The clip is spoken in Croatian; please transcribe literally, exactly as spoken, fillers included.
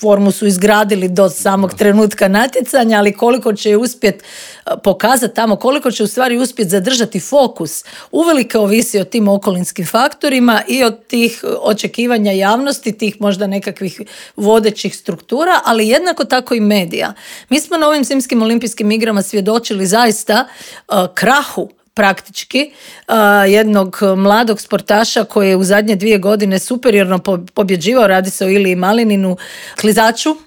formu su izgradili do samog trenutka natjecanja, ali koliko će uspjeti pokazati tamo, koliko će u stvari uspjeti zadržati fokus, uvelike ovisi o tim okolinskim faktorima i od tih očekivanja javnosti, tih možda nekakvih vodećih struktura, ali jednako tako i medija. Mi smo na ovim zimskim olimpijskim igrama svjedočili zaista uh, krahu praktički uh, jednog mladog sportaša koji je u zadnje dvije godine superiorno pobjeđivao, radi se o Iliji Malininu, klizaču